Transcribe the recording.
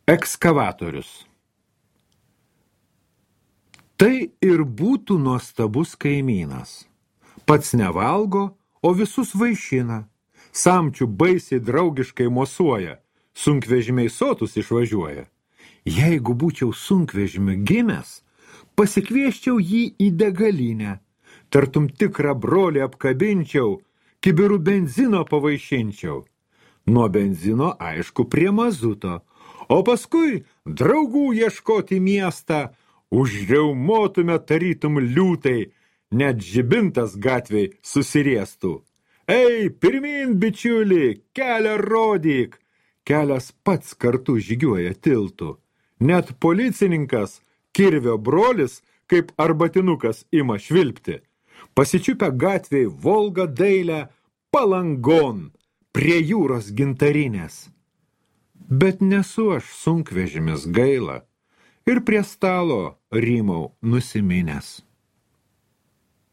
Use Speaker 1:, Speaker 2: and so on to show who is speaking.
Speaker 1: Ekskavatorius. Tai ir būtų nuostabus kaimynas. Pats nevalgo, o visus vaišina. Samčių baisiai draugiškai mosuoja. Sunkvežimiai sotus išvažiuoja. Jeigu būčiau sunkvežimiu gimęs, pasikvieščiau jį į degalinę. Tartum tikrą brolį apkabinčiau, kibirų benzino pavaišinčiau. Nuo benzino, aišku, prie mazuto. O paskui draugų ieškoti miestą, užriaumotume tarytum liūtai, net žibintas gatvėj susiriestų. Ei, pirmin, bičiuli, kelią rodyk! Kelias pats kartu žygiuoja tiltu. Net policininkas, kirvio brolis, kaip arbatinukas ima švilpti. Pasičiupę gatvėj Volgą dailę Palangon, prie jūros gintarinės. Bet nesu aš sunkvežimis gaila ir prie stalo rymau nusiminęs.